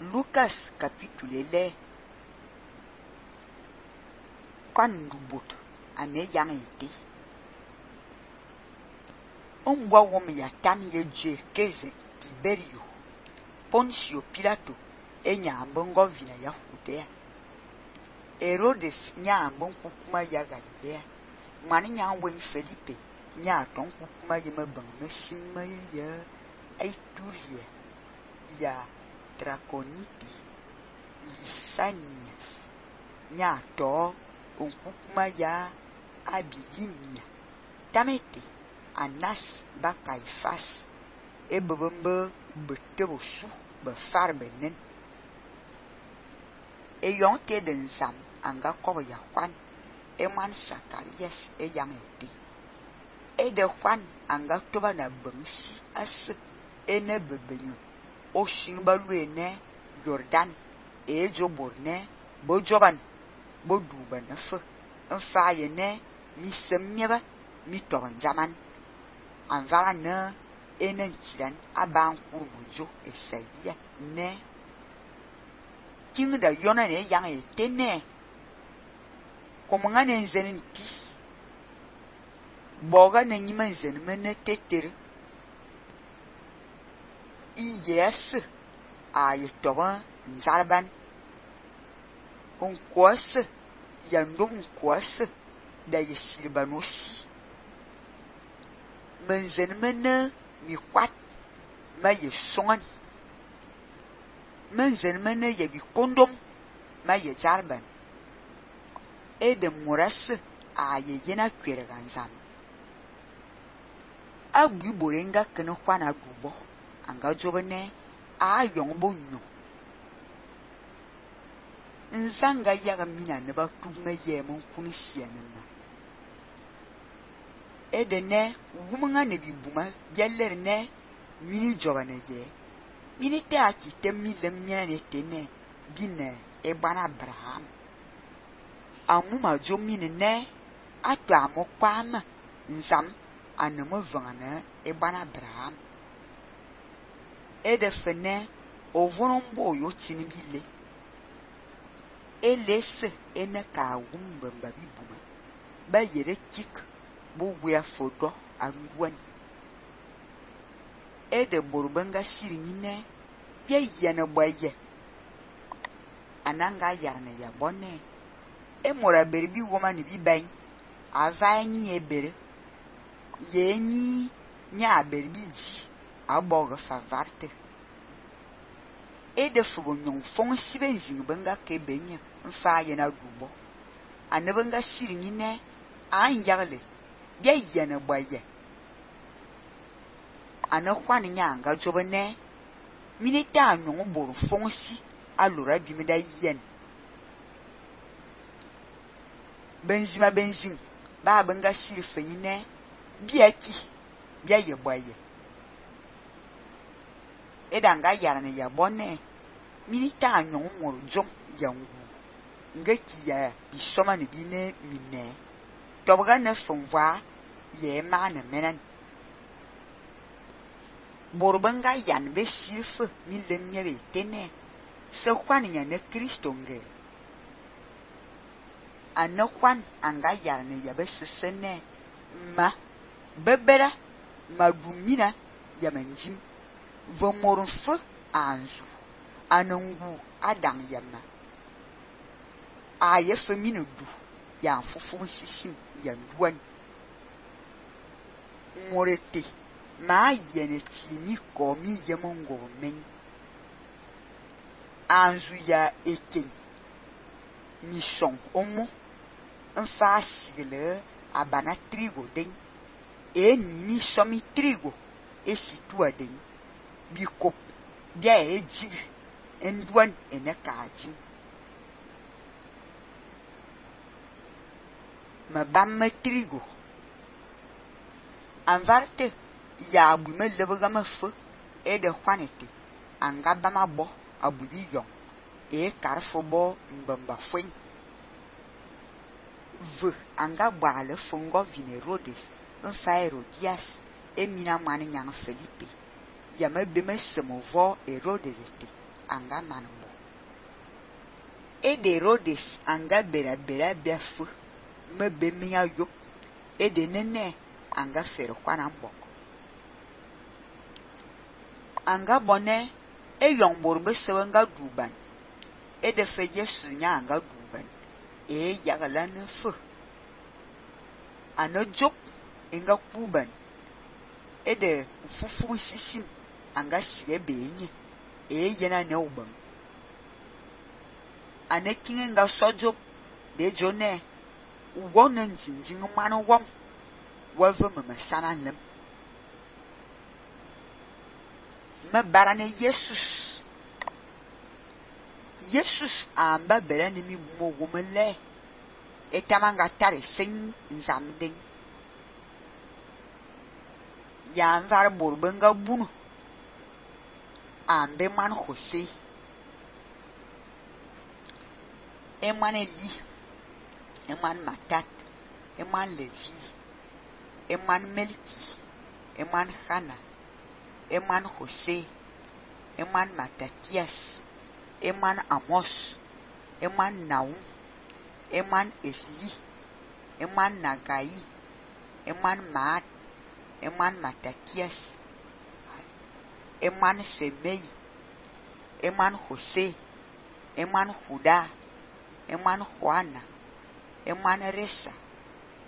Lucas capítulo 11. Quando bot ane yang ete. Boa wom ya tam ye je keze Tiberio. Poncio Pilato nyambo vina ya Judea. Herodes nyambo kukuma ya Galilea. Mani nyamwen Felipe nyaton kukuma ye mabang sima ya Aituria ya Traconite Lysanias nyato kukuma ya Abilinia tamete Anas ba Caifás bebembe betebosu befar benen yonte den sam anga kobo ya Juan man Zacarias yang ete de Juan anga toba na bangsi as ene bebenyo o shimba luene Jordan joborne bojoban boduba na fe fa yene mi semnyeba mi toban zaman anvala na enen kiran aban kurmujo Esaia ne king da yona ne yang ete ne komangane nzenin ti boga na nyima nzen mene tetere yes ayetoba nzalban onkwase yandom kwase da yesirbanos menzen mene mi kwat ma yesongan menzen mene yebi kondom ma yejalban de moras yena kwere ganzam abu borenga kene kwana dubo anga jobene yongbo nyo nzanga yaga mina ne ba tugna yemon kunisianna edene wumanga ne bibuma byaller ne mini jobane ye mini ta ki temile miana ne tene bine bana Abraham amuma jomine ne atu amokwama nzam anamo vangana bana Abraham de fene ovonombo yo tinibile elese ene ka wumba babibuma ba yere tik bo wea fodo anwan de borbanga sirine bia yana boye ananga yarne ya bonne mora berbi woma ni biban avani ebere yeni nya berbi ji aboga favarte de fugo nyon fon sibe nzing banga ke benya mfa ye na dubo anebanga sirine an yagle bia yana boye anakwani nyanga jobene minita nyon boru fonsi alura bimida yen benzin ba banga siri fenyine biaki bia ye boye edanga yarane ya bonne minita nyon moro jom yangu ngeti ya bisoma ne bine mine tobaga na fonwa ye mana menan borbanga yan be sirfe millemye be tene se kwanya ne Kristo nge anakwan anga yarne ya be sesene ma bebera madumina ya manjim vomorfo anzu anangu adam yama aye feminu du ya fufu sisim ya duan morete ma yene timi komi yemongo men anzu ya eken mission omo nfa sigele abana trigo den nini somi trigo situa den bikop bia ejiri enduan enekaji mabam trigo anvarte ya abume lebagama fo de kwanete anga bama bo abudi yon karfo bo mbamba fwen ve anga bwale fongo vine Herodes nfa Herodias emina mani nyang Felipe yama beme semovo Herodes ete anga manbo. Ede Rhodes anga bera biafu mebe miya yop. Ede nene anga fere kwana mbok. Anga bone eyong borbe sewe nga duban. Ede fe Yesu nya anga duban. Yagala ne fe. Ano jop inga kuban. Ede mfufu sisim anga sige benye. Yena ne ubam. Ane kinge nga sojop de jone. Wona njinjing manu wam. Wave me sana lem. Me barane Jesus. Jesus amba berane mi bumo wumele. Etamanga tare sing nzamding. Ya nvar borbenga bunu. Ambe man Jose. Eman Eli. Eman Matat. Eman Levi. Eman Melki. Eman Hana. Eman Jose. Eman Matatias. Eman Amos. Eman Naum. Eman Esli. Eman Nagai. Eman Maat. Eman Matatias. Eman Semei. Eman Jose. Eman Juda. Eman Juana. Eman Resa.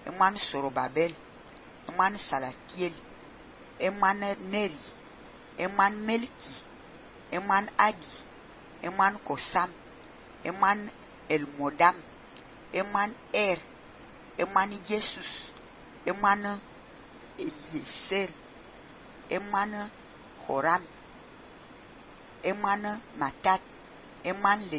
Eman Sorobabel. Eman Salatiel. Eman Neri. Eman Melki. Eman Adi. Eman Kosam. Eman Elmodam. Eman Eman Jesus. Eman Eliezer. Eman Horam. Eman Matat. Eman Levi.